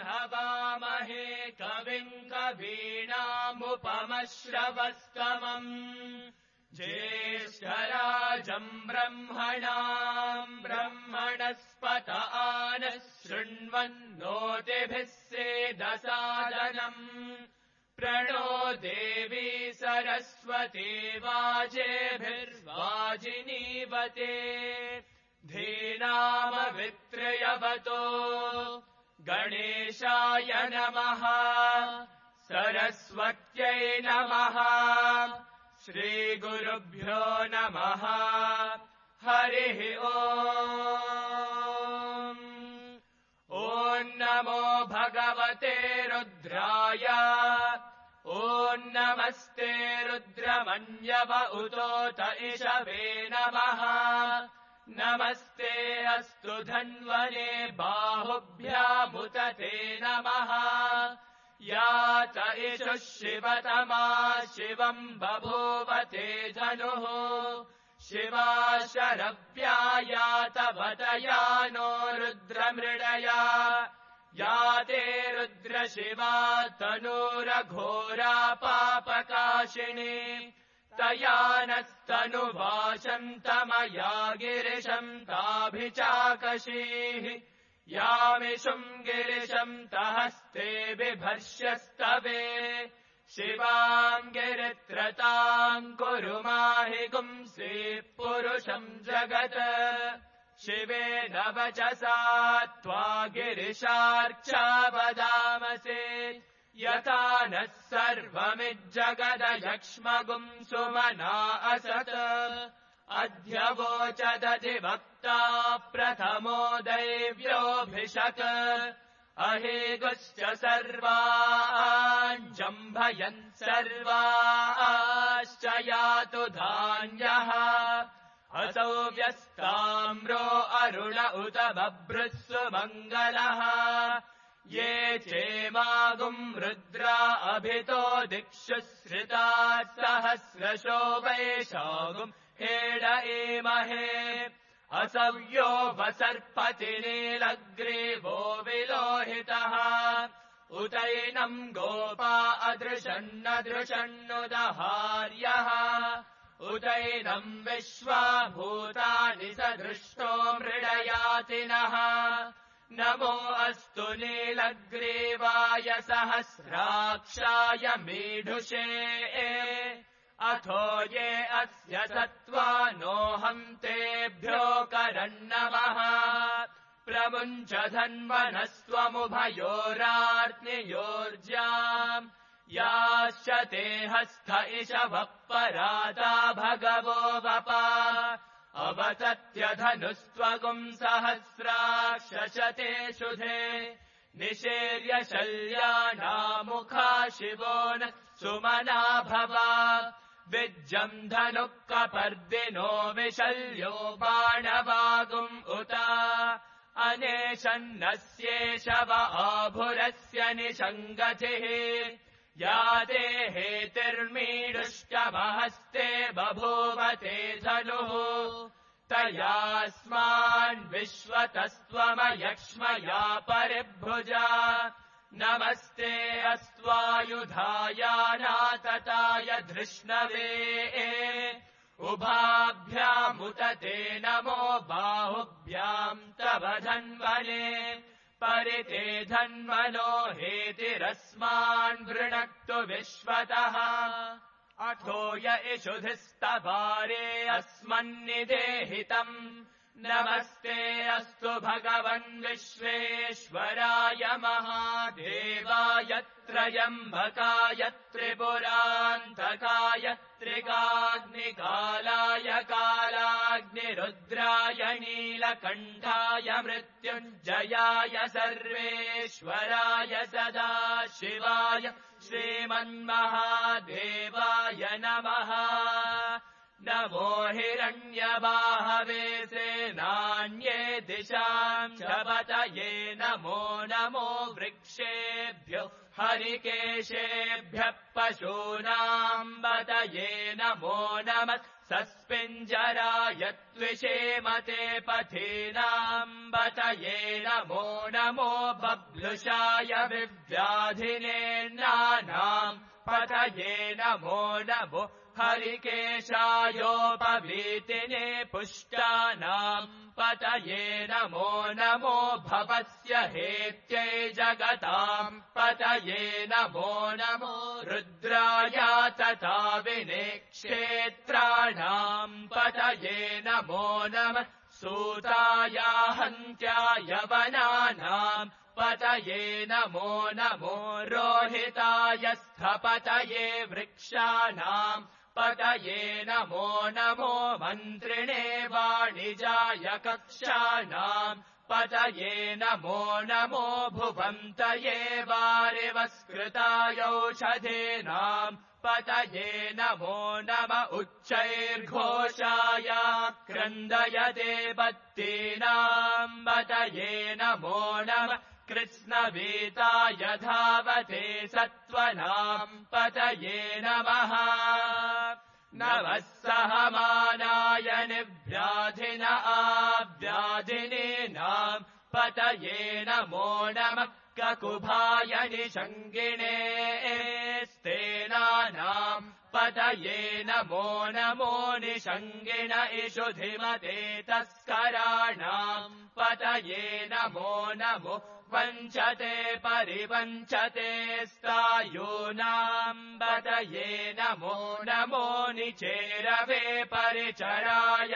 हवामहे कविम् कवीनामुपमश्रवस्तमम् ज्येष्ठराजम् ब्रह्मणाम् ब्रह्मणस्पत नः शृण्वन्नोतिभिः सेदसादनम् प्रणो देवी सरस्वती वाजेभिर्वाजिनीवते धीनामवित्रयवतो गणेशाय नमः सरस्वत्यै नमः श्रीगुरुभ्यो नमः हरिः ओम् ॐ नमो भगवते रुद्राय ॐ नमस्ते रुद्रमन्यव उतोत इषवे नमः नमस्ते अस्तु धन्वने बाहुभ्यामुत ते नमः यात इषुः शिवतमा शिवम् बभूवते धनुः शिवा शरव्या यातवतया नो रुद्रमृडया याते रुद्रशिवा तनूरघोरा पापकाशिनी तया नस्तनुवाशन्तमया गिरिशम् ताभिचाकशीः यामिषुम् गिरिशम् तहस्ते बिभर्ष्यस्तवे शिवाम् गिरित्रताम् कुरु माहि गुंसि पुरुषम् जगत् शिवेन वचसा त्वा गिरिशार्चा वदामसे यथा नः सर्वमिज्जगदयक्ष्मगुम् सुमना असत् अध्यवोचदधिवक्ता प्रथमो दैव्योऽभिषक् अहेगुश्च सर्वाञ्जम्भयन् सर्वाश्च यातु धान्यः असौ व्यस्ताम्रो अरुण उत बभ्रुः मङ्गलः ये चेमागुम् रुद्रा अभितो दिक्षु श्रिताः सहस्रशो वैशागुम् हेड एमहे असव्यो वसर्पति नीलग्रीवो विलोहितः उतैनम् गोपा अदृशन्नदृशन्नुदहार्यः उतैनम् विश्वाभूतानि सदृष्टो मृडयातिनः नमो अस्तु नीलग्रीवाय सहस्राक्षाय मीढुषे अथो ये अस्य सत्त्वानोऽहम् तेभ्यो करन्नमः प्रमुञ्च धन्वनस्त्वमुभयोरार्त्नियोर्जाम् याश्च ते हस्थ इषवः पराता भगवो वपा अवतत्यधनुस्त्वगुम् सहस्राक्षशते शुधे निषेर्य शल्यानामुखा शिवो न सुमना भवा विज्जम् धनुः कपर्दिनो विशल्यो बाणवागुम् उत अनेशन्नस्येषव आभुरस्य निषङ्गतिः याते हेतिर्मीडुष्टमहस्ते बभूवते धनुः तयास्मान् विश्वतस्त्वमयक्ष्मया परिभुजा नमस्ते अस्त्वायुधायानातताय धृष्णवे उभाभ्यामुत ते नमो बाहुभ्याम् तव धन्वने परिते धन्वनो हेतिरस्मान् वृणक्तु विश्वतः अथो य इषुधिस्तवारे अस्मन्निदेहितम् नमस्ते अस्तु भगवन् विश्वेश्वराय महादेवाय त्रयम्बकाय त्रिपुरान्तकाय त्रिकाग्निकालाय कालाग्निरुद्राय नीलकण्ठाय मृत्युञ्जयाय सर्वेश्वराय सदाशिवाय श्रीमन्महादेवाय नमः नमो हिरण्यबाहवे सेनान्ये दिशाम् शपतये नमो नमो वृक्षेभ्यो हरिकेशेभ्यः पशूनाम् बतये नमो नमः सस्पिञ्जराय त्विषेमते पथीनाम् पतये नमो नमो बब्लुषाय विव्याधिनेन्नानाम् पतये नमो नमो हरिकेशायोपवीतिने पुष्टानाम् पतये नमो नमो भवस्य हेत्यै जगताम् पतये नमो नमो रुद्राय तथा विनेक्षेत्राणाम् पतये नमो नमः सूताय हन्त्याय वनानाम् पतये नमो नमो रोहिताय स्थपतये वृक्षाणाम् पतये नमो नमो मन्त्रिणे वाणिजाय कक्षाणाम् पतये नमो नमो भुवन्तये वारिवस्कृतायौषधीनाम् पतये नमो नम उच्चैर्घोषाय क्रन्दयते पत्तीनाम् पतये नमो नम कृत्स्नवीताय धावते सत्त्वनाम् पतये नमः नमः सहमानाय निव्याधिन आव्याधिनीनाम् पतये नमो नमः ककुभाय निषङ्गिणे स्तेनानाम् पतये नमो नमो निषङ्गिण इषुधिमते तस्कराणाम् पतये नमो नमो वञ्चते परिवञ्चते स्तायूनाम् पतये नमो नमो निचेरवे परिचरायारण्यानाम्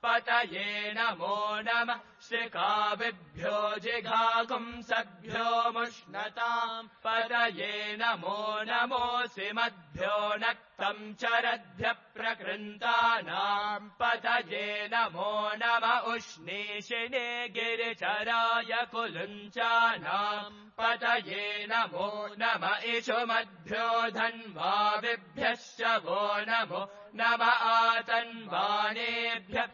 पतये नमो नमः श्रिकाविभ्यो जिघागुंसभ्यो मुष्णताम् पतये नमो नमोऽसिमद्भ्यो नक्तम् चरद्भ्यः प्रकृन्तानाम् पतये नमो नम उष्णीषिणे गिरिचराय कुलुञ्चानाम् पतये नमो नम इषुमद्भ्यो धन्वाविभ्यश्च वो नमो नम आतन्वानेभ्यः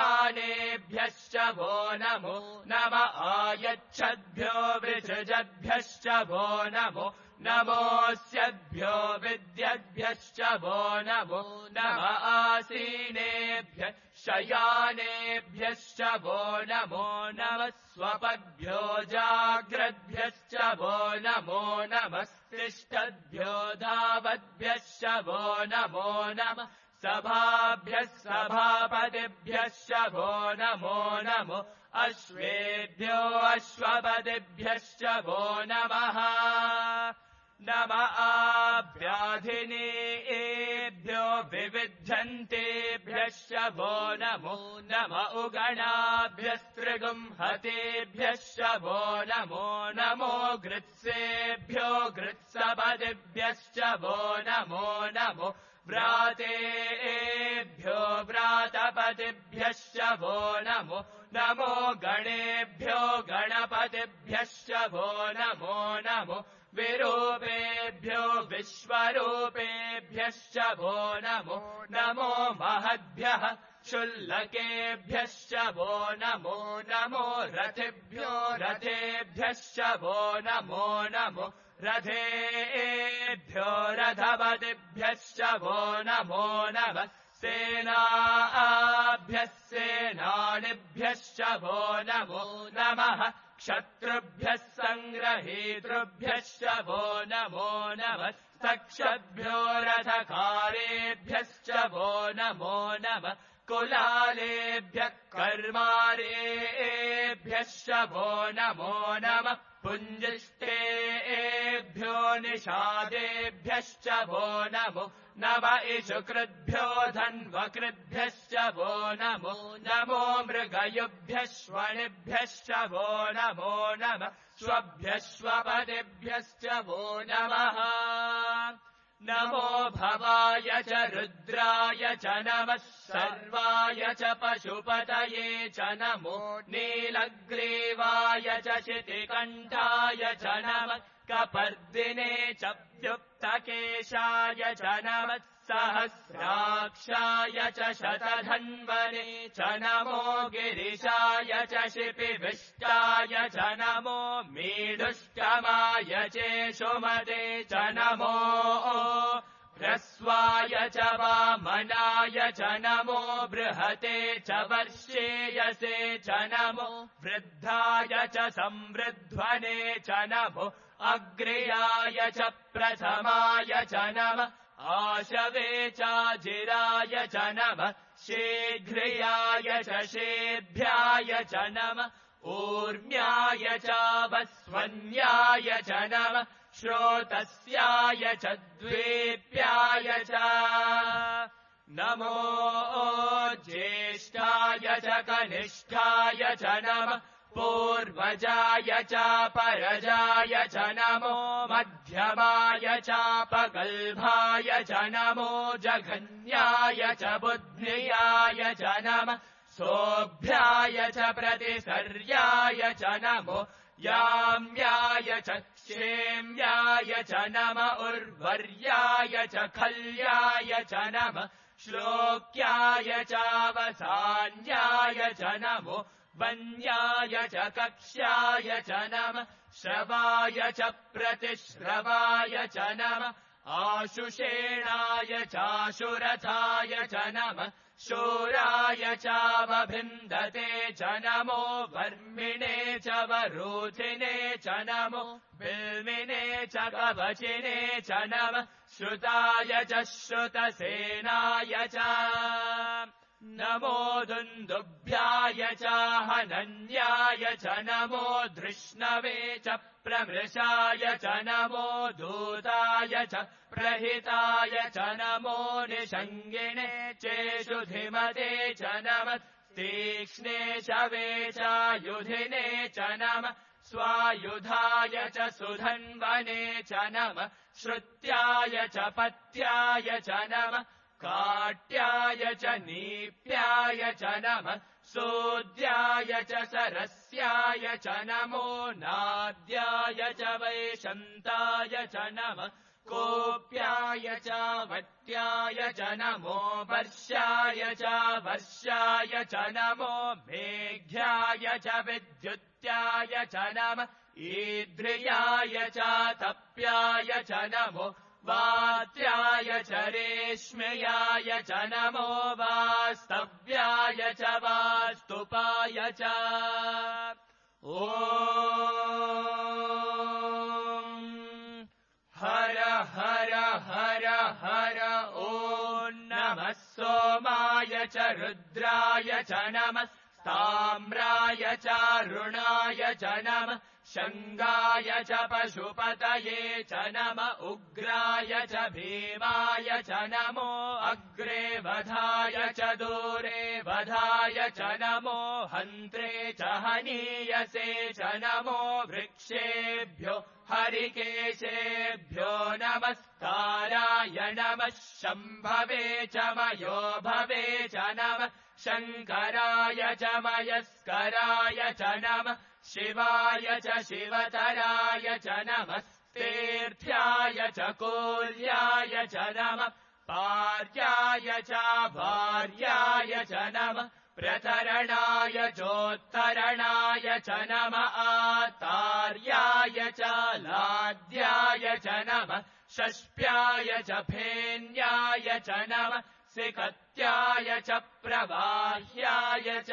प्रतिदधानेभ्यश्च वो नमो नम आयच्छद्भ्यो वृषजद्भ्यश्च वो नमो नमोऽस्यद्भ्यो विद्यद्भ्यश्च वो नमो नम आसीनेभ्यः शयानेभ्यश्च वो नमो नमः स्वपद्भ्यो जाग्रद्भ्यश्च वो नमो नमस्तिष्ठद्भ्यो धावद्भ्यश्च वो नमो नमः सभाभ्यः सभापतिभ्यश्च वो नमो नमो अश्वेभ्यो अश्वपतिभ्यश्च वो नमः नम आभ्याधिनेभ्यो विविध्यन्तेभ्यश्च वो नमो नम उगणाभ्यस्त्रिगुंहतेभ्यश्च वो नमो नमो गृत्सेभ्यो गृत्सपतिभ्यश्च वो नमो नमो व्रातेभ्यो व्रातपतिभ्यश्च वो नमो नमो गणेभ्यो गणपतिभ्यश्च वो नमो नमो विरूपेभ्यो विश्वरूपेभ्यश्च वो नमो नमो महद्भ्यः क्षुल्लकेभ्यश्च वो नमो नमो रथेभ्यो रथेभ्यश्च वो नमो नमो रथेभ्यो रथपतिभ्यश्च वो नमो नमः सेनाभ्यः सेनानिभ्यश्च वो नमो नमः क्षत्रुभ्यः सङ्ग्रहीतृभ्यश्च वो नमो नमः सक्षभ्यो रथकारेभ्यश्च वो नमो नमः कुलालेभ्यः कर्मारेभ्यश्च वो नमो नमः पुञ्जिष्टेभ्यो निषादेभ्यश्च वो नमो नम इषुकृद्भ्यो धन्वकृद्भ्यश्च वो नमो नमो मृगयुभ्यः श्वणिभ्यश्च वो नमो नमः स्वभ्यः स्वपतिभ्यश्च वो नमः नमो भवाय च रुद्राय च नमः सर्वाय च पशुपतये च नमो नीलग्रीवाय च शितिकण्ठाय च नमः कपर्दिने च व्युक्तकेशाय च नमः सहस्राक्षाय च शतधन्वने च नमो गिरिशाय च शिपिविष्टाय च नमो मीढुष्टमाय चेषुमते च नमो ह्रस्वाय च वामनाय च नमो बृहते च वर्षेयसे च नमो वृद्धाय च संवृध्वने च नमो अग्र्याय च प्रथमाय च नमः आशवे चाजिराय च नमः शीघ्र्याय च शेभ्याय च नमः ऊर्म्याय च वस्वन्याय च नमः श्रोतस्याय च द्वेप्याय च नमो ज्येष्ठाय च कनिष्ठाय च नमः पूर्वजाय च परजाय च नमो मध्यमाय चापगल्भाय च नमो जघन्याय च बुद्ध्याय च नमः सोऽभ्याय च प्रतिसर्याय च नमो याम्याय च क्षेम्याय च नम उर्वर्याय च खल्याय च नमः श्लोक्याय चावसान्याय च नमो वन्याय च कक्ष्याय च नमः श्रवाय च प्रतिश्रवाय च नमः आशुषेणाय चाशुरथाय च नमः शूराय चावभिन्दते च नमो वर्मिणे च वरूथिने च नमो बिल्मिने च कवचिने च नमः श्रुताय च श्रुतसेनाय च नमो दुन्दुभ्याय च हनन्याय च नमो धृष्णवे च प्रमृषाय च नमो दूताय च प्रहिताय च नमो निषङ्गिणे चेषुधिमते च नमः तीक्ष्णे शवे चायुधिने च नमः स्वायुधाय च सुधन्वने च नमः श्रुत्याय च पत्याय च नमः काट्याय च नीप्याय च नमः सोद्याय च सरस्याय च नमो नाद्याय च वैशन्ताय च नमः कोप्याय च वट्याय च नमो वर्षाय च वर्षाय च नमो मेघ्याय च विद्युत्याय च नमः ईद्रियाय च तप्याय च नमो वात्याय च रेश्मयाय च नमो वास्तव्याय च वास्तुपाय च ॐ हर हर हर हर ॐ नमः सोमाय च रुद्राय च नमः ताम्राय च रुणाय च नमः शङ्गाय च पशुपतये च नम उग्राय च भीमाय च नमो अग्रे वधाय च दूरे वधाय च नमो हन्त्रे च हनीयसे च नमो वृक्षेभ्यो हरिकेशेभ्यो नमस्काराय नमः शम्भवे च मयो भवे च नमः शङ्कराय च मयस्कराय च नमः शिवाय च शिवतराय च नमस्तेऽर्थ्याय च कोल्याय च नमः पार्याय च भार्याय च नमः प्रतरणाय चोत्तरणाय च नमः आतार्याय च लाद्याय च नमः षष्प्याय च फेन्याय च नमः सिकत्याय च प्रवाह्याय च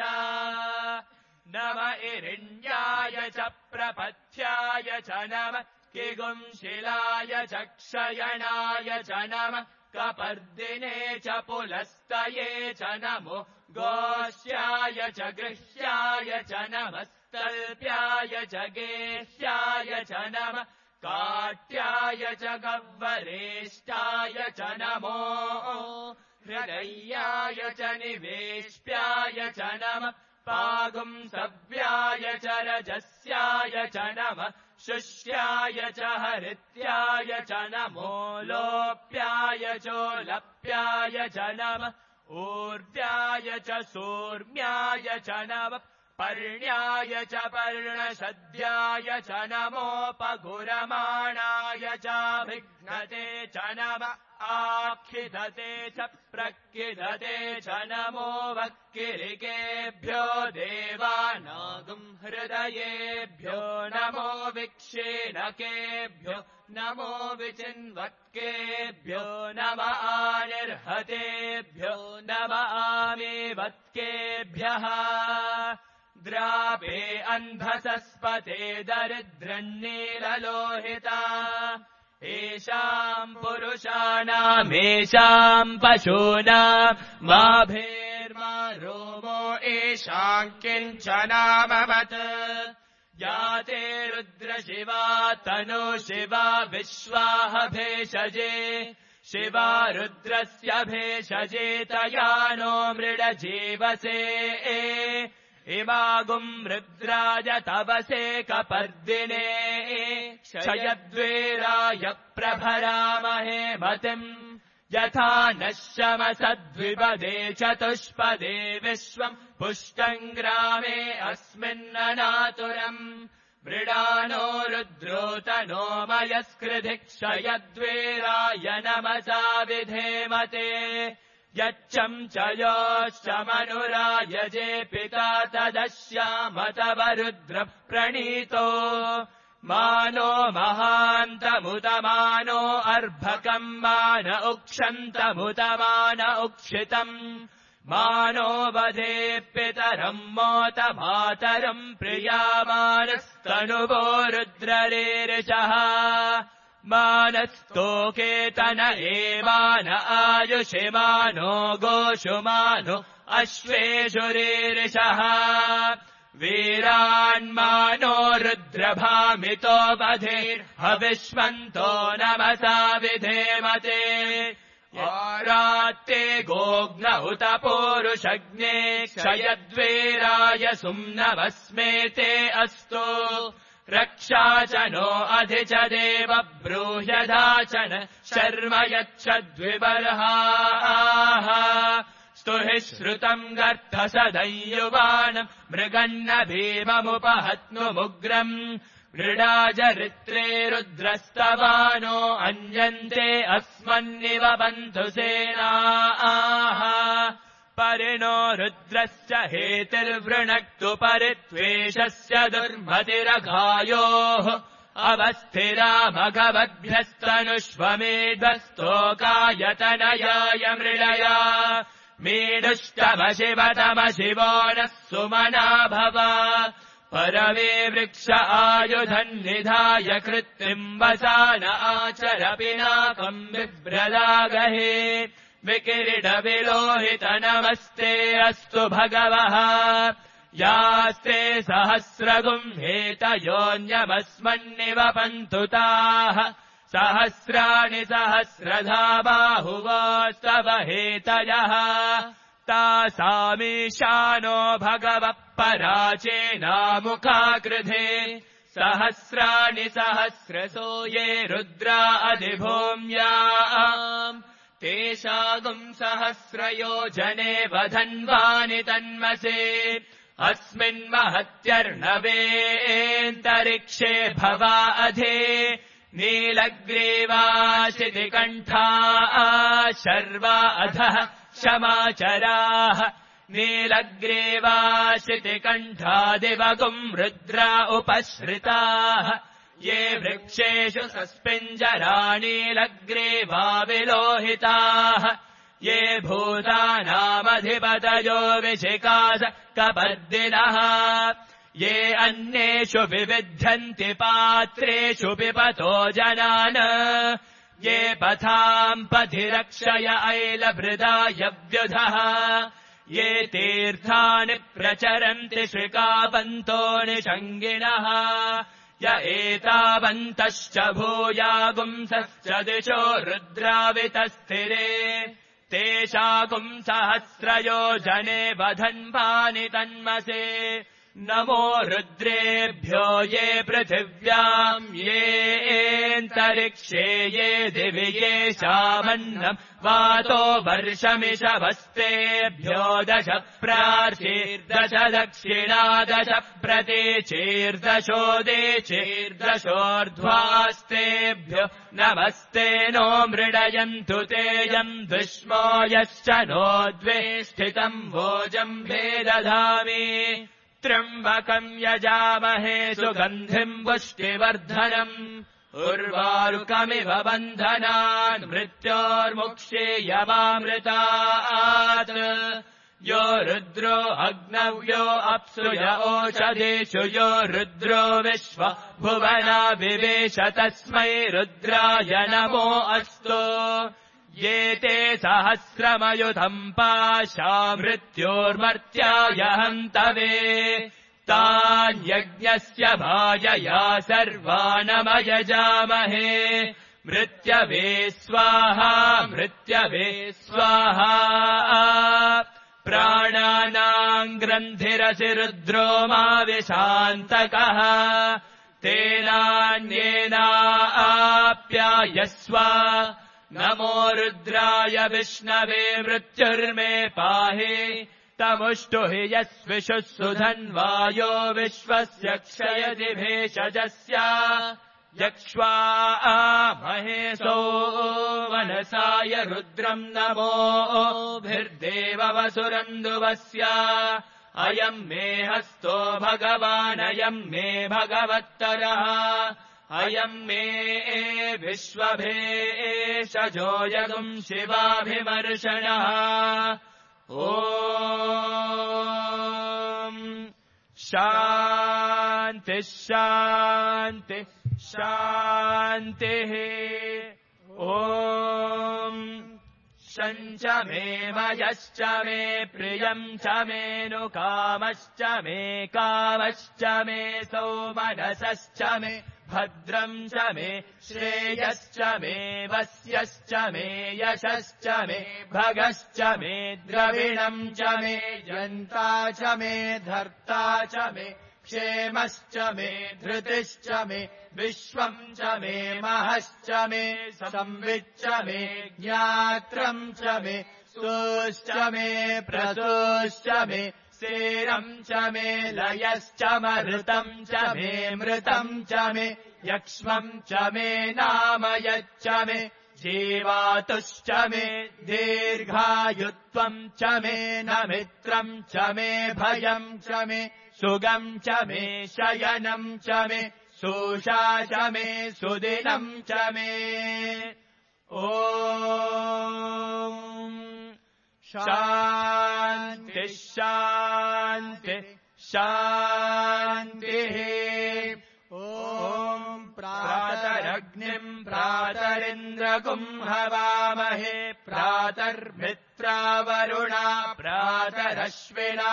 नम इरिण्याय च प्रपथ्याय च नमः किगुंशिलाय च क्षयणाय च नमः कपर्दिने च पुलस्तये च नमो गोष्याय च गृह्याय च नमस्तल्प्याय च गेह्याय च नमः काट्याय च गह्वरेष्टाय च नमो हृदयाय च निवेश्याय च नमः पागुंसव्याय च रजस्याय च नमः शुष्याय च हरित्याय च नमो लोप्याय चोलप्याय च नमः ऊर्व्याय च सूर्म्याय च नमः पर्ण्याय च पर्णशद्याय च नमोपगुरमाणाय च विघ्नते च नमः आखिदते च प्रकिदते च नमो वक्किरिकेभ्यो देवानागुं हृदयेभ्यो नमो विक्षेणकेभ्यो नमो विचिन्वत्केभ्यो नम आनिर्हतेभ्यो नम आमेवत्केभ्यः द्रापे अन्धसस्पते दरिद्रन्नीललोहिता येषाम् पुरुषाणामेषाम् पशूनाम् माभेर्मा रोमो येषाम् किञ्चनामवत् याते रुद्रशिवा तनु शिवा विश्वाह भेषजे शिवा रुद्रस्य भेषजे तया नो मृडजीवसे इमागुम् रुद्राय तवसे कपर्दिने क्षयद्वीराय प्रभरामहे मतिम् यथा नश्यमसद्विपदे चतुष्पदे विश्वम् पुष्टम् ग्रामे अस्मिन्ननातुरम् मृडानो रुद्रोतनो मयस्कृधि क्षयद्वीराय नमसा विधेमते यच्चम् च योश्चमनुरायजे पिता तदश्यामतवरुद्र प्रणीतो मानो महान्तमुतमानो अर्भकम् मान उक्षन्तमुतमान उक्षितम् मानो वधे पितरम् मोत मातरम् प्रियामानस्तनुवो रुद्ररेरिषः मानस्तोकेतन एमान आयुषिमानो गोषुमानो अश्वेषुरेरिषः वीरान्मानो रुद्रभामितो वधेर्हविष्मन्तो नमसा विधेमते आरात्ते गोग्न उत पूरुषज्ञे क्षयद्वीराय सुम्नवस्मेते अस्तु रक्षा च नो अधि च देव ब्रूह्यधाचन शर्म यच्छद्विबर्हाः स्तुहि श्रुतम् गर्धसदयुवानम् मृगन्न भीममुपहत्नुमुग्रम् मृडाजरित्रे रुद्रस्तवानो अन्यन्ते अस्मन्निव बन्धु सेनाः परिणो रुद्रस्य हेतिर्वृणक्तु परित्वेषस्य दुर्मतिरघायोः अवस्थिरामघवद्भ्यस्तनुष्वमेध्वस्तोकायतनयाय मृळया मीडुष्टमशिवतमशिवो नः सुमना भव परवे वृक्ष आयुधन्निधाय कृत्रिम् वसान आचर पिनाकम् बिभ्रदागहे विकिरीटविलोहित नमस्ते अस्तु भगवः यास्ते सहस्रगुम् हेतयोऽन्यमस्मन्निव पन्तुताः सहस्राणि सहस्रधा बाहुवोस्तव हेतयः तासामीशानो भगवः पराचेनामुखाकृधे सहस्राणि सहस्रसो ये रुद्रा अधिभूम्याम् तेषागुम् सहस्रयोजने वधन्वानि तन्मसे अस्मिन्महत्यर्णवेऽन्तरिक्षे भवा अधि नीलग्रीवाशितिकण्ठा शर्वा अधः क्षमाचराः नीलग्रीवाशितिकण्ठादिवगुम् रुद्रा उपश्रिताः ये वृक्षेषु सस्पिञ्जरा नीलग्रीवा विलोहिताः ये भूतानामधिपतयो विशिकास कपर्दिनः ये अन्येषु विविध्यन्ति पात्रेषु पिबतो जनान् ये पथाम् पथि रक्षय ऐलभृदायव्युधः ये तीर्थानि प्रचरन्ति श्रिकापन्तो निषङ्गिणः य एतावन्तश्च भूयागुंसश्च दिशो रुद्रावितस्थिरे तेषागुम् सहस्रयोजने वधन्वानि तन्मसे नमो रुद्रेभ्यो ये पृथिव्याम् येऽन्तरिक्षे ये दिवि येषामन्नम् वातो वर्षमिषभस्तेभ्यो 10 प्रार्चीर्दश दक्षिणा 10 प्रतीचीर्दशोदेचीर्दशोर्ध्वास्तेभ्यो नमस्ते नो मृडयन्तु तेयम् दुष्मो यश्च नो द्वे स्थितम् भोजम् भेदधामि त्र्यम्बकम् यजामहे सुगन्धिम् पुष्टिवर्धनम् उर्वारुकमिव बन्धनान् मृत्योर्मुक्षेयमामृतात् यो रुद्रो अग्नव्यो अप्सु य ओषधेषु यो रुद्रो विश्व भुवना विवेश तस्मै रुद्राय नमो अस्तु ये ते सहस्रमयुधम् पाशा मृत्योर्मर्त्याय हन्तवे तान्यज्ञस्य भाजया सर्वानमयजामहे मृत्यवे स्वाहा मृत्यवे स्वाहा प्राणानाम् ग्रन्थिरसि रुद्रो मा विशान्तकः तेनान्येनाप्यायस्व नमो रुद्राय विष्णवे मृत्युर्मे पाहि तमुष्टु हि यस्विषुः सुधन्वायो विश्वस्य क्षयति भेषजस्य यक्ष्वा महेशो मनसाय रुद्रम् नमोभिर्देववसुरन्दुवस्य अयम् मे हस्तो भगवानयम् मे भगवत्तरः अयम् मे विश्वभेषजो यगुम् शिवाभिमर्शनः ॐ शान्तिः शान्तिः शान्तिः ॐ शञ्च मे मयश्च मे प्रियम् च मेऽनुकामश्च मे कामश्च मे सौमनसश्च मे भद्रम् च मे श्रेयश्च मे वस्यश्च मे यशश्च मे भगश्च मे द्रविणम् च मे जन्ता च मे धर्ता च मे क्षेमश्च मे धृतिश्च मे विश्वम् च मे महश्च मे संविच्च मे ज्ञात्रम् च मे सोश्च मे प्रसोश्च मे सेरम् च मे लयश्च मृतम् च मे मृतम् च मे यक्ष्मम् च मे नामयच्च मे जीवातुश्च मे दीर्घायुत्वम् च मे न मित्रम् च मे भयम् च मे सुगम् च मे शयनम् च मे शोषा च मे सुदिनम् च मे ॐ शान्तिः शान्तिः शान्तिः ॐ प्रातरग्निम् प्रातरिन्द्रगुम् हवामहे प्रातर्मित्रावरुणा प्रातरश्विना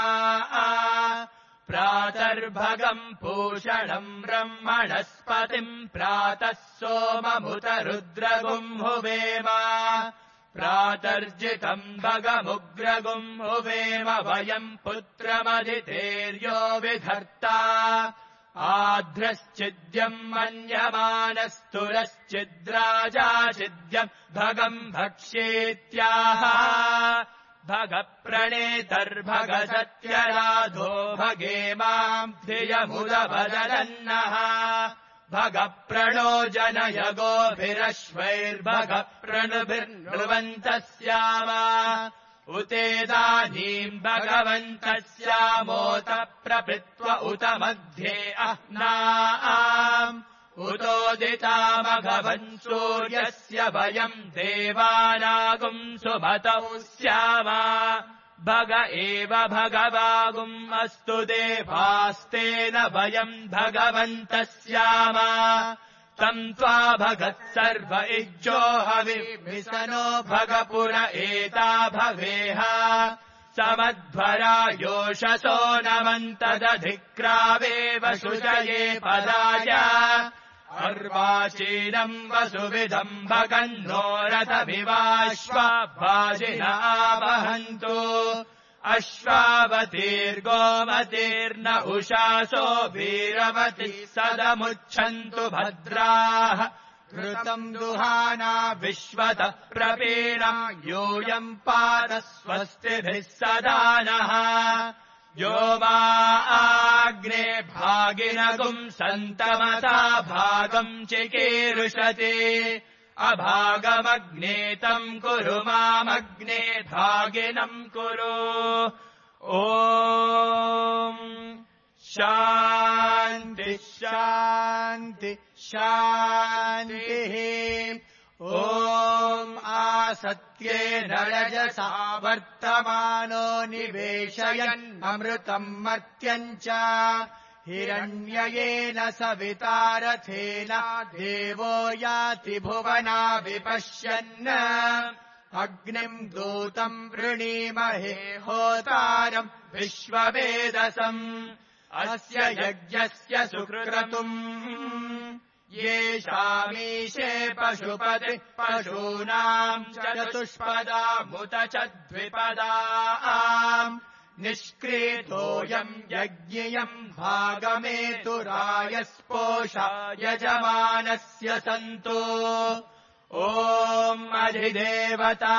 प्रातर्भगम् पूषणम् ब्रह्मणस्पतिम् प्रातः सोममुत रुद्रगुम् हुवेम प्रातर्जितम् भगमुग्रगुम् हुवेम वयम् पुत्रमदितेर्यो विधर्ता आध्रश्चिद्यम् मन्यमानस्तुरश्चिद्राजाचिद्यम् भगम् भक्ष्येत्याह भगप्रणेतर्भग सत्यराधो भगे माम् धियमुदवदनन्नः भगप्रणो जनय गोभिरश्वैर्भग प्रणुभिर्नृवन्तः स्याम उतेदानीम् भगवन्तः स्यामोत प्रपृत्व उत मध्ये अह्नाम् उतोदितामघवन् सूर्यस्य वयम् देवानागुम् सुमतौ स्याम भग एव भगवागुम् अस्तु देवास्तेन वयम् भगवन्तः स्याम तम् त्वा भगत् सर्व इज्जो हविर्मिसनो भगपुर एता भवेह समध्वरा योषसो नमन्तदधिक्रावेव शुचये पदाय अर्वाचीनम् वसुविदम् भगन्नो रथमिवाश्वाभाजिन आवहन्तु अश्वावतीर्गोमतीर्न उषासो वीरवती सदमुच्छन्तु भद्राः घृतम् दुहाना विश्वतः प्रपीणा यूयम् पाद स्वस्तिभिः सदा नः यो मा आग्ने भागिनगुम् सन्तमसा भागम् चिकीर्षति अभागमग्ने तम् कुरु मामग्ने भागिनम् कुरु ॐ शान्ति शान्ति शान्तिः। ॐ आसत्येन रजसा वर्तमानो निवेशयन् अमृतम् मर्त्यम् च हिरण्ययेन सवितारथेन देवो याति भुवना विपश्यन् अग्निम् दूतम् वृणीमहे होतारम् विश्ववेदसम् अस्य यज्ञस्य सुक्रतुम् येषामीशे पशुपतिः पशूनाम् चतुष्पदामुत च द्विपदाम् निष्क्रीतोऽयम् यज्ञियम् भागमेतुरायस्पोषा यजमानस्य सन्तो। ॐ अधिदेवता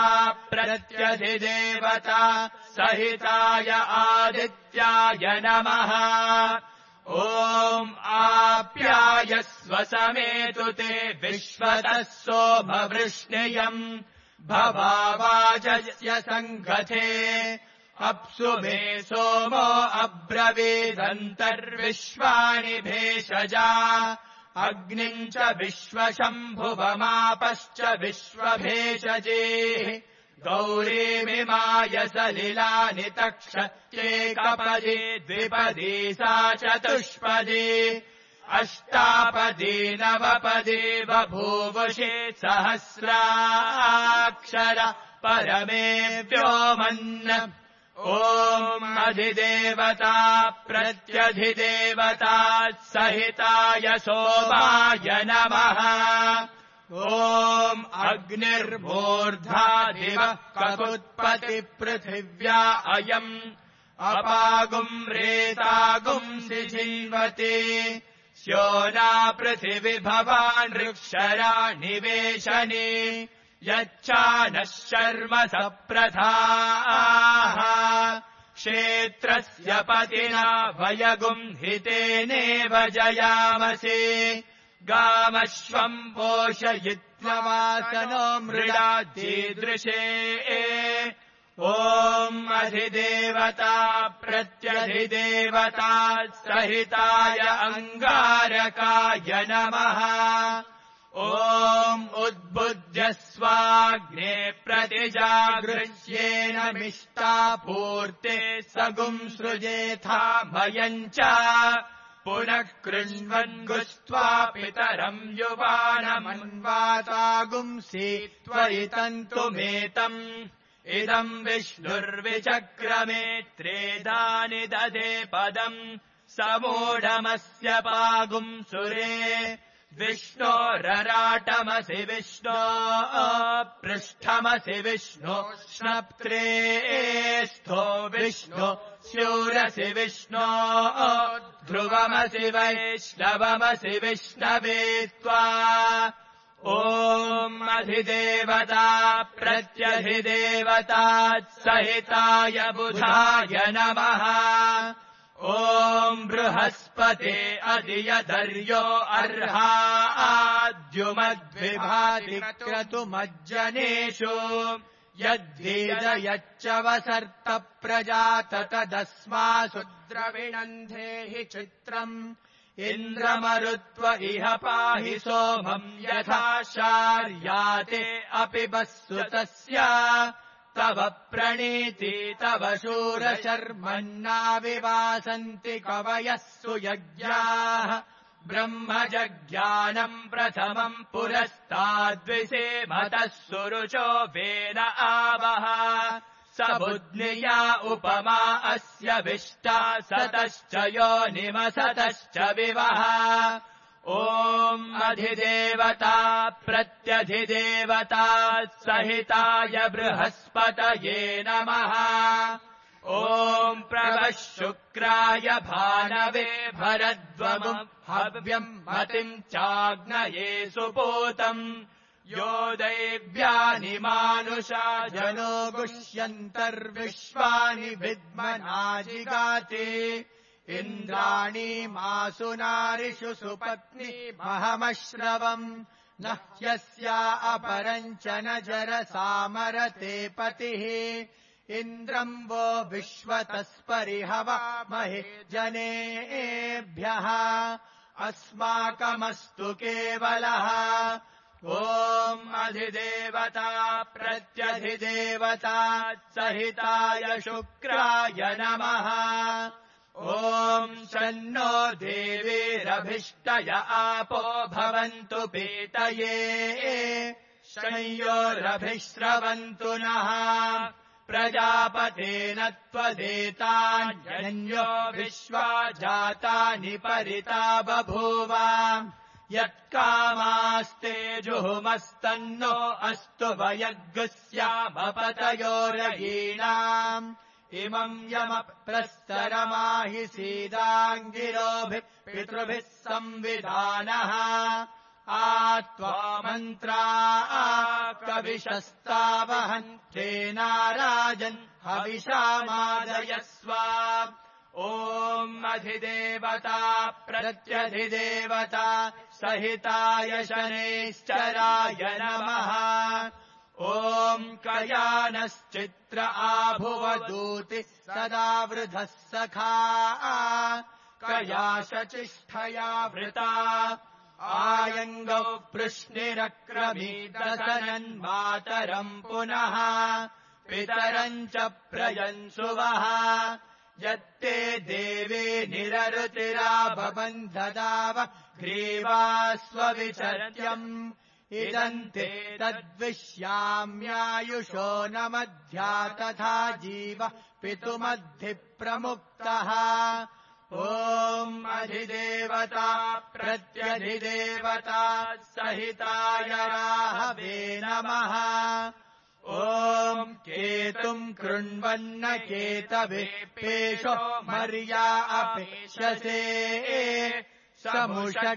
प्रत्यधिदेवता सहिताय आदित्याय नमः। ॐ आप्यायस्व समेतु ते विश्वतः सोमवृष्णियम् भवावाचस्य सङ्गथे अप्सु मे सोमो अब्रवीदन्तर्विश्वानि भेषजा अग्निम् च विश्वशम्भुवमापश्च विश्वभेषजेः गौरीमिमाय सलिलानि तक्षत्येकपदी द्विपदी सा चतुष्पदी अष्टापदी नवपदी बभूवुषे सहस्राक्षर परमे व्योमन्। ॐ अधिदेवता प्रत्यधिदेवता सहिताय सोमाय नमः। ॐ अग्निर्मूर्धा दिवः ककुत्पतिपृथिव्या अयम् अपागुम् रेतागुम् सिजिन्वते स्योना पृथिवी भवान् ऋक्षरा निवेशने यच्चानः शर्म सप्रथाः क्षेत्रस्य पतिना वयगुम् हितेनेव जयामसे गामश्वम् पोषयित्वमासनो मृडादीदृशे। ॐ अधिदेवता प्रत्यधिदेवता सहिताय अङ्गारकाय नमः। ॐ उद्बुध्यस्वाग्ने प्रतिजागृह्येन मिष्टापूर्ते सगुम् सृजेथा भयम् च पुनः कृण्वन् गुस्त्वा पितरम् युवानमन्वातागुंसि त्वयि तन्तुमेतम् इदम् विष्णुर्विचक्रमे त्रेधानि ददे पदम् समूढमस्य पागुम् सुरे विष्णोरराटमसि विष्णो पृष्ठमसि विष्णो स्नप्त्रे स्थो विष्णो स्यूरसि विष्णो ध्रुवमसि वैष्णवमसि विष्णवे त्वा। ॐ अधिदेवता प्रत्यधिदेवता सहिताय बुधाय नमः। ॐ बृहस्पते अधियधर्यो अर्हाद्युमद्विभाति क्रतुमज्जनेषु यद्वेदयच्च वसर्त प्रजात तदस्मासु द्रविणन्धे हि चित्रम् इन्द्रमरुत्व इह पाहि सोमम् यथा शार्याते अपि वस्सुतस्य तव प्रणीति तव शूरशर्मन्नाविवासन्ति कवयः सुयज्ञाः ब्रह्मजज्ञानम् प्रथमम् पुरस्ताद्विसेमतः सुरुचो वेन आवः स बुध्निया उपमा अस्य विष्टा सतश्च योनिमसतश्च विवः। ॐ अधिदेवता प्रत्यधिदेवता सहिताय बृहस्पतये नमः। ॐ प्रभः शुक्राय भानवे भरद्वमुम् हव्यम् मतिम् चाग्नये सुपूतम् यो दैव्यानि मानुषा जनो गुष्यन्तर्विश्वानि विद्मनाजिगाति इन्द्राणी मासु नारिषु सुपत्नी महमश्रवम् न ह्यस्या अपरम् च न जरसामरते पतिः इन्द्रम् वो विश्वतस्परिहवामहे जनेभ्यः अस्माकमस्तु केवलः ॐ अधिदेवता प्रत्यधिदेवता सहिताय शुक्राय नमः ॐ शन्नो देवीरभिष्टय आपो भवन्तु पीतये शंयोरभिश्रवन्तु नः प्रजापतेन त्वदेतान्यो विश्वा जातानि परिता बभूव यत्कामास्ते जुहुमस्तन्नो अस्तु वयग्स्यामपतयोरयीणाम् इमम् यमप्रस्तरमाहि सीदाङ्गिरोभिः पितृभिः संविधानः आत्वा मन्त्रा कविशस्तावहन्तेनाराजन् हविषामादयस्व ॐ अधिदेवता प्रत्यधिदेवता सहिताय शनैश्चराय नमः ॐ कयानश्चित्र आभुवदूति सदा वृधः सखा कयाशचिष्ठया वृता आयङ्गौ पृश्निरक्रमीतसनन्मातरम् पुनः पितरम् च प्रयन्सुवः यत्ते देवे निररुतिराबबन्धदाव ग्रीवास्वविचर्यम् इदम् ते तद्विश्याम्यायुषो न मध्या तथा जीव पितुमद्धिप्रमुक्तः ॐ अधिदेवता प्रत्यधिदेवता सहिताय राहवे नमः ॐ केतुम् कृण्वन्न केतवे पेशो मर्या अपेक्षसे समुषड्भिरजायथाः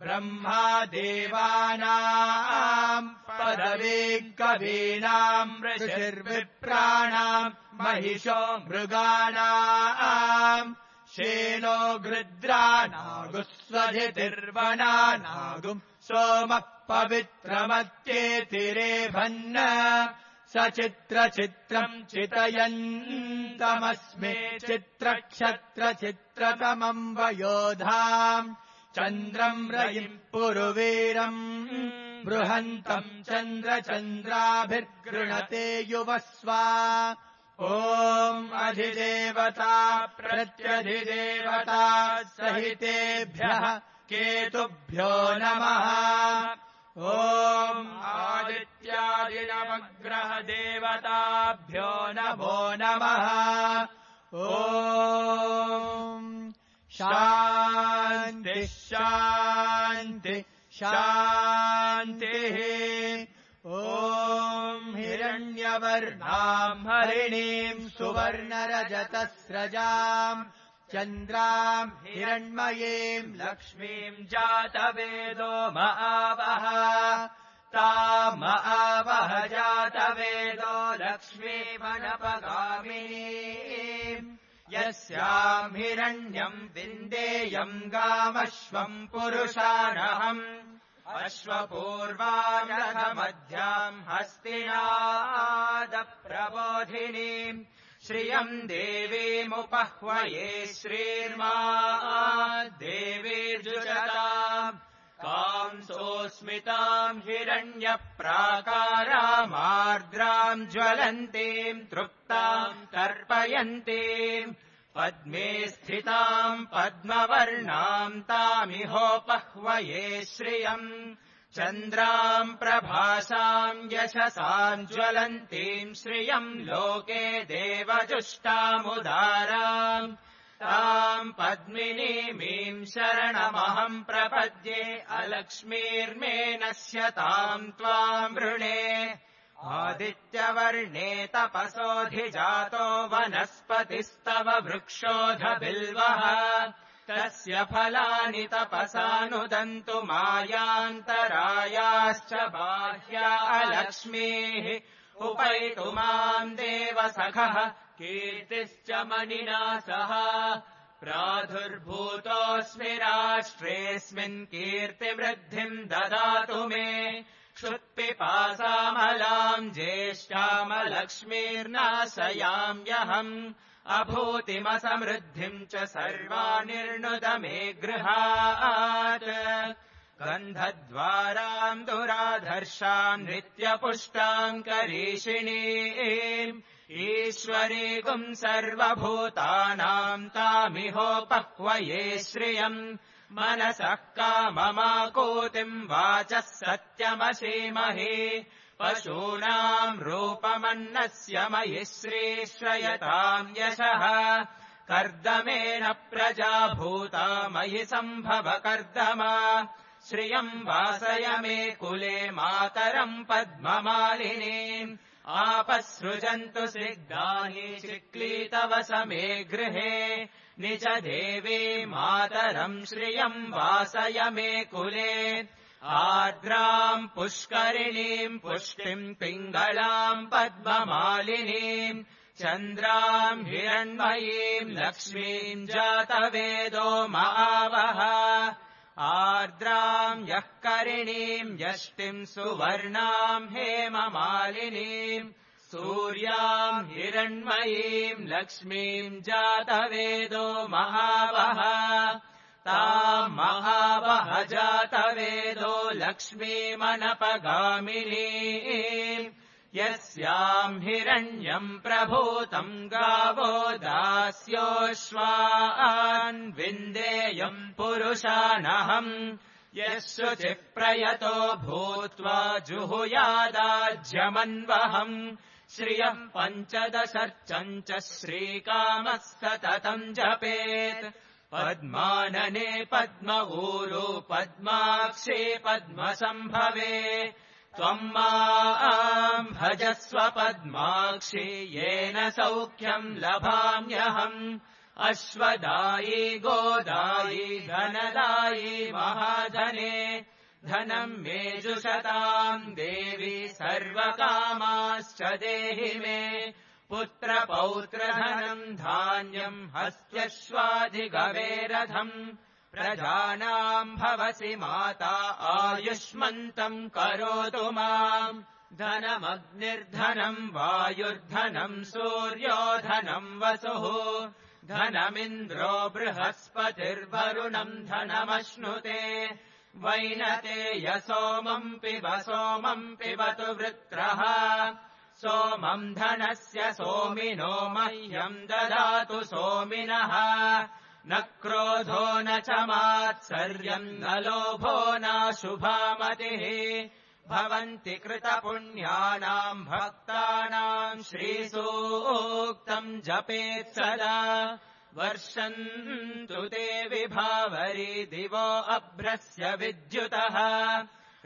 ब्रह्मा देवानाम् पदवे कवीनाम् ऋषिर्विप्राणाम् महिषो मृगाणाम् शेनो गृद्रानागुस्वधितिर्वनानागुम् सोमः पवित्रमत्येतिरेभन्न सचित्रचित्रम् चितयन्तमस्मे चित्रक्षत्रचित्रतमम् वयोधाम् चन्द्रम् रयिम् पुरुवीरम् बृहन्तम् चन्द्रचन्द्राभिर्गृणते युवस्वा ॐ अधिदेवता प्रत्यधिदेवता सहितेभ्यः केतुभ्यो नमः ॐ आदित्यादिनवग्रहदेवताभ्यो नमो नमः ॐ शान्तिः शान्तिः शान्तिः ॐ हिरण्यवर्णाम् हरिणीम् सुवर्णरजतस्रजाम् चन्द्राम् हिरण्मयीम् लक्ष्मीम् जातवेदो मआवह ताम आवह जातवेदो लक्ष्मीमनपगामिनीम् यस्याम् हिरण्यम् विन्देयम् गामश्वम् पुरुषानहम् अश्वपूर्वानघमध्याम् हस्तिनादप्रबोधिनीम् श्रियम् देवीमुपह्वये श्रीर्मा देवीर्जुषताम् कांसोऽस्मिताम् हिरण्यप्राकारामार्द्राम् ज्वलन्तीम् तृप्ताम् तर्पयन्तीम् पद्मे स्थिताम् पद्मवर्णाम् तामिहोपह्वये श्रियम् चन्द्राम् प्रभासाम् यशसाम् ज्वलन्तीम् श्रियम् लोके देवजुष्टामुदाराम् ताम् पद्मिनीमीम् शरणमहम् प्रपद्ये अलक्ष्मीर्मे नश्यताम् त्वाम् वृणे आदित्यवर्णे तपसोऽधिजातो वनस्पतिस्तव वृक्षोऽधबिल्वः तस्य फलानि तपसानुदन्तु मायान्तरायाश्च बाह्या अलक्ष्मीः उपैतु माम् देवसखः कीर्तिश्च मणिना सह प्रादुर्भूतोऽस्मि राष्ट्रेऽस्मिन् कीर्तिवृद्धिम् ददातु मे पिपासामलाम् ज्येष्ठामलक्ष्मीर्नाशयाम्यहम् अभूतिमसमृद्धिम् च सर्वानिर्णुत मे गृहात् गन्धद्वाराम् दुराधर्षाम् नित्यपुष्टाम् करीषिणीम् ईश्वरीगुम् सर्वभूतानाम् तामिहोपह्वये श्रियम् मनसः काममाकूतिम् वाचः सत्यमसीमहि पशूनाम् रूपमन्नस्य मयि श्रीश्रयताम् यशः कर्दमेन प्रजा भूता मयि सम्भव कर्दमा श्रियम् वासय मे कुले मातरम् पद्ममालिनीम् आपसृजन्तु सिग्धानि चिक्लीतव समे गृहे निज देवी मातरम् श्रियम् वासय मे कुले आर्द्राम् पुष्करिणीम् पुष्टिम् पिङ्गलाम् पद्ममालिनीम् चन्द्राम् हिरण्मयीम् लक्ष्मीम् जातवेदो महावः आर्द्राम् यः करिणीम् यष्टिम् सुवर्णाम् हेममालिनीम् सूर्याम् हिरण्मयीम् लक्ष्मीम् जातवेदो महावः ताम् महावः जातवेदो लक्ष्मीमनपगामिनीम् यस्याम् हिरण्यम् प्रभूतम् गावो दास्योऽश्वान् विन्देयम् पुरुषानहम् यः शुचिः प्रयतो भूत्वा जुहुयादाज्यमन्वहम् श्रियम् 15 च श्रीकामः सततम् जपेत् पद्मानने पद्म ऊरू पद्माक्षे पद्मसम्भवे त्वम् माम् भजस्व पद्माक्षि येन सौख्यम् लभाम्यहम् अश्वदायी गोदायी धनदायी महाधने धनम् मे जुषताम् देवी सर्वकामाश्च देहि मे पुत्रपौत्रधनम् धान्यम् हस्त्यश्वाधिगवेरथम् प्रजानाम् भवसि माता आयुष्मन्तम् करोतु माम् धनमग्निर्धनम् वायुर्धनम् सूर्यो धनम् वसुः धनमिन्द्रो बृहस्पतिर्वरुणम् धनमश्नुते वैनते सोमम् पिबतु वृत्रः सोमम् धनस्य सोमिनो मह्यम् ददातु सोमिनः न क्रोधो न च मात्सर्यम् न लोभो नाशुभामतिः भवन्ति कृतपुण्यानाम् भक्तानाम् श्रीसूक्तम् जपेत् सदा वर्षन्तु ते विभावरी दिवो अभ्रस्य विद्युतः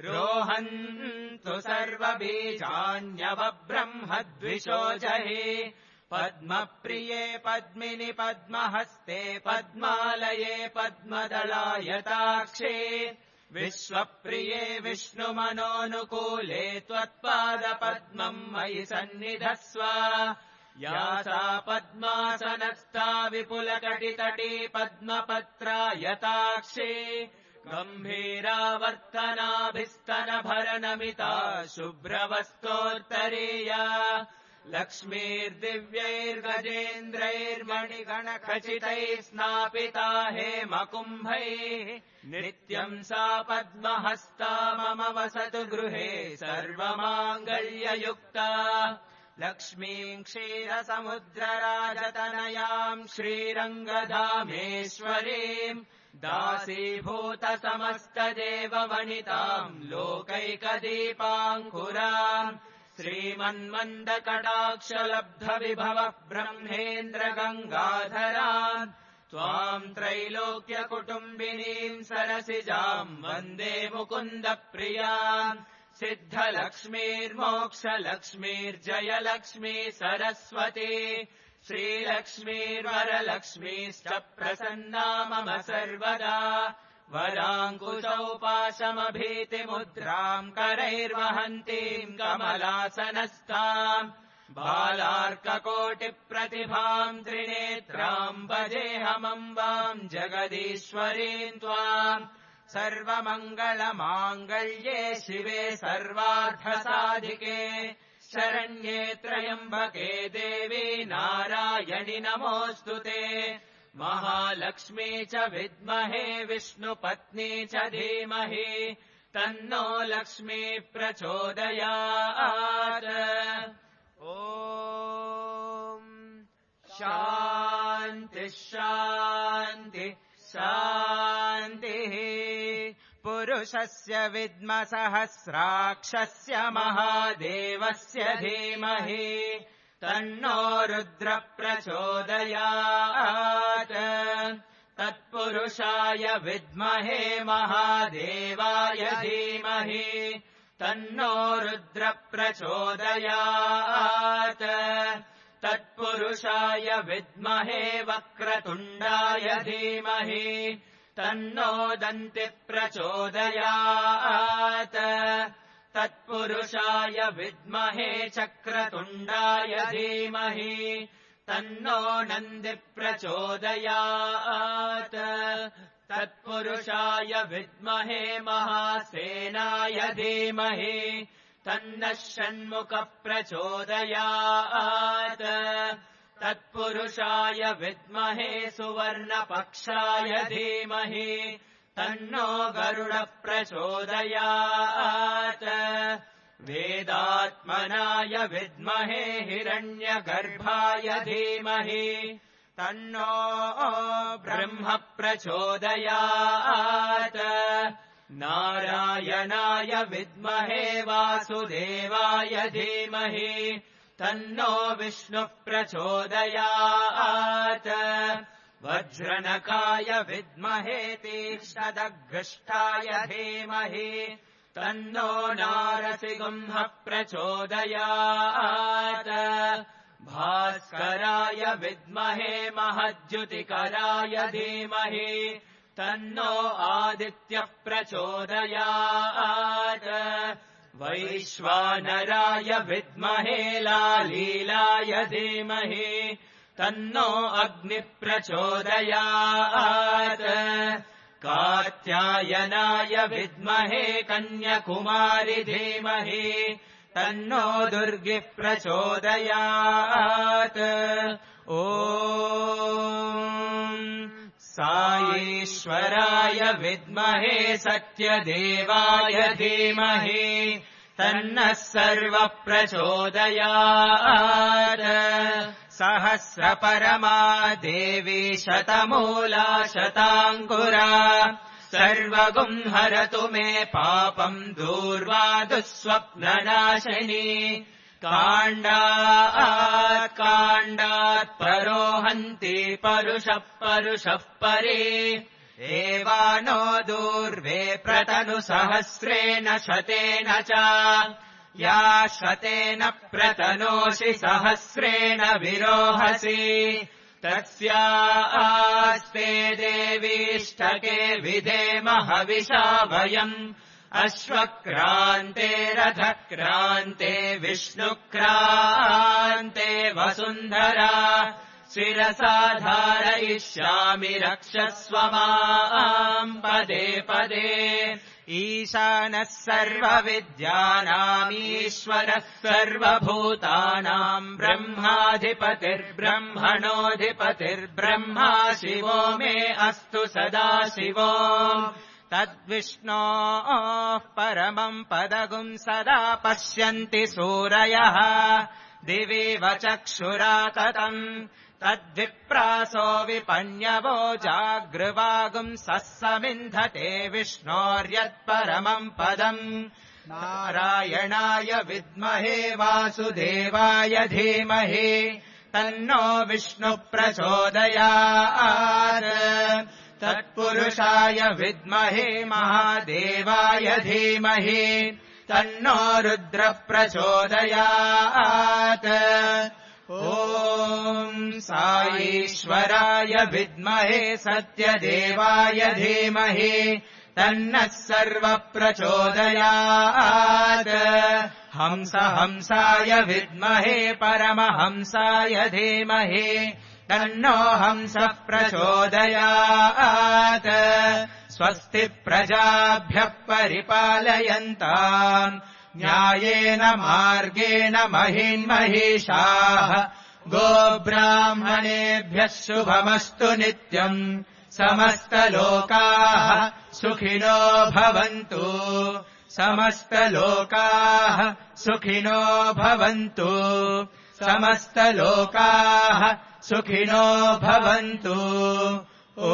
रोहन्तु सर्वबीजान्यवब्रह्मद्विषो जहि पद्मप्रिये पद्मिनि पद्महस्ते पद्मालये पद्मदलायताक्षे विश्वप्रिये विष्णुमनोनुकूले त्वत्पादपद्मम् मयि सन्निधस्व या सा पद्मासनस्था विपुलकटितटी पद्मपत्रायताक्षे गम्भीरावर्तनाभिस्तनभरनमिता शुभ्रवस्तोत्तरीया लक्ष्मीर्दिव्यैर्गजेन्द्रैर्मणिगणखचितैः स्नापिता हेमकुम्भैः नित्यम् सा पद्महस्ता मम वसतु गृहे सर्वमाङ्गल्ययुक्ता लक्ष्मीम् क्षीरसमुद्रराजतनयाम् श्रीरङ्गधामेश्वरीम् दासीभूतसमस्तदेववनिताम् लोकैकदीपाङ्कुराम् श्रीमन्मन्दकटाक्षलब्धविभवः ब्रह्मेन्द्रगङ्गाधराम् त्वाम् त्रैलोक्यकुटुम्बिनीम् सरसिजाम् वन्दे मुकुन्दप्रियाम् सिद्धलक्ष्मीर्मोक्षलक्ष्मीर्जयलक्ष्मी सरस्वती श्रीलक्ष्मीर्वरलक्ष्मीश्च प्रसन्ना मम सर्वदा वराङ्कुशौ पाशमभीतिमुद्राम् करैर्वहन्तीम् कमलासनस्थाम् बालार्ककोटिप्रतिभाम् त्रिनेत्राम् भजेऽहमम्बाम् जगदीश्वरीम् त्वाम् सर्वमङ्गलमाङ्गल्ये शिवे सर्वार्थसाधिके शरण्ये त्र्यम्बके देवी नारायणि नमोऽस्तुते महालक्ष्मी च विद्महे विष्णुपत्नी च धीमहि तन्नो लक्ष्मी प्रचोदयात् ॐ शान्ति शान्ति शान्तिः पुरुषस्य विद्मसहस्राक्षस्य महादेवस्य धीमहि तन्नो रुद्र प्रचोदयात् तत्पुरुषाय विद्महे महादेवाय धीमहि तन्नो रुद्र प्रचोदयात् तत्पुरुषाय विद्महे वक्रतुण्डाय धीमहि तन्नो दन्ति प्रचोदयात् तत्पुरुषाय विद्महे चक्रतुण्डाय धीमहि तन्नो नन्दि प्रचोदयात् तत्पुरुषाय विद्महे महासेनाय धीमहि तन्नः षण्मुख प्रचोदयात् तत्पुरुषाय विद्महे सुवर्णपक्षाय धीमहि तन्नो गरुड प्रचोदयात् वेदात्मनाय विद्महे हिरण्यगर्भाय धीमहि तन्नो ब्रह्म प्रचोदयात् नारायणाय विद्महे वासुदेवाय धीमहि तन्नो विष्णु प्रचोदयात् वज्रनकाय विद्महे तीक्ष्णदग्गष्ठाय धीमहि तन्नो नारसिंह प्रचोदयात् भास्कराय विद्महे महद्युतिकराय धीमहि तन्नो आदित्य प्रचोदयात् वैश्वानराय विद्महे लालीलाय धीमहि तन्नो अग्नि प्रचोदयात् कात्यायनाय विद्महे कन्याकुमारि धीमहि तन्नो दुर्गि प्रचोदयात् ॐ साईश्वराय विद्महे सत्यदेवाय धीमहि तन्नः सर्व प्रचोदयात् सहस्रपरमा देवी शतमूला शताङ्कुरा सर्वगुंहरतु मे पापम् दूर्वा दुःस्वप्ननाशिनी काण्डात् परोहन्ति परुषः परे एवानो दूर्वे प्रतनु सहस्रेण शतेन च या शतेन प्रतनोषि सहस्रेण विरोहसि तस्यास्ते देवीष्टके विधेम हविषा वयम् अश्वक्रान्ते रथक्रान्ते विष्णुक्रान्ते वसुन्धरा शिरसा धारयिष्यामि रक्षस्व माम् पदे पदे ईशानः सर्वविद्यानामीश्वरः सर्वभूतानाम् ब्रह्माधिपतिर्ब्रह्मणोऽधिपतिर्ब्रह्मा शिवो मे अस्तु सदा शिवो तद्विष्णोः परमम् पदगुम् सदा पश्यन्ति सूरयः दिविव चक्षुरा ततम् तद्विप्रासो विपन्यवो जागृवागुम् समिन्धते विष्णोर्यत्परमम् पदम् नारायणाय विद्महे वासुदेवाय धीमहि तन्नो विष्णु प्रचोदयात् तत्पुरुषाय विद्महे महादेवाय धीमहि तन्नो रुद्र प्रचोदयात् ॐ साईश्वराय विद्महे सत्यदेवाय धीमहि तन्नः सर्व प्रचोदयात् हंसाय विद्महे परमहंसाय धीमहि तन्नो हंस प्रचोदयात् स्वस्ति प्रजाभ्यः परिपालयन्ताम् न्यायेन मार्गेण महिन्महिषाः गोब्राह्मणेभ्यः शुभमस्तु नित्यम् समस्तलोकाः सुखिनो भवन्तु समस्तलोकाः सुखिनो भवन्तु समस्तलोकाः सुखिनो भवन्तु ॐ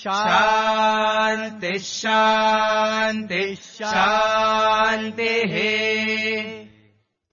शान्तिः शान्तिः शान्तिः